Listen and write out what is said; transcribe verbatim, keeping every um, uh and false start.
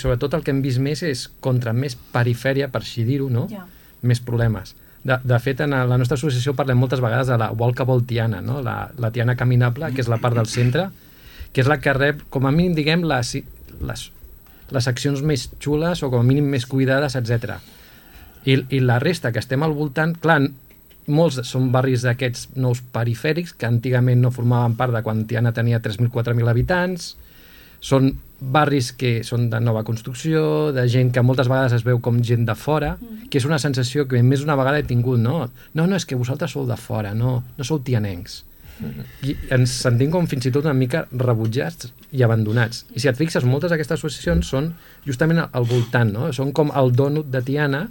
sobretot el que hem vist més és contra més perifèria, per així dir-ho, no? Ja. Més problemes. De, de fet, en la nostra associació parlem moltes vegades de la walkable Tiana, no? la, la Tiana caminable, que és la part del centre, que és la que rep, com a mínim, diguem, les, les, les seccions més xules o com a mínim més cuidades, etcètera. I, I la resta que estem al voltant, clar, molts són barris d'aquests nous perifèrics que antigament no formaven part de quan Tiana tenia tres mil quatre mil habitants, són barris que són de nova construcció, de gent que moltes vegades es veu com gent de fora, mm. que és una sensació que més d'una vegada he tingut, no? No, no, és que vosaltres sou de fora, no, no sou tianencs. I ens sentim com fins i tot una mica rebutjats i abandonats. I si et fixes, moltes d'aquestes associacions són justament al voltant, no? Són com el dònut de Tiana,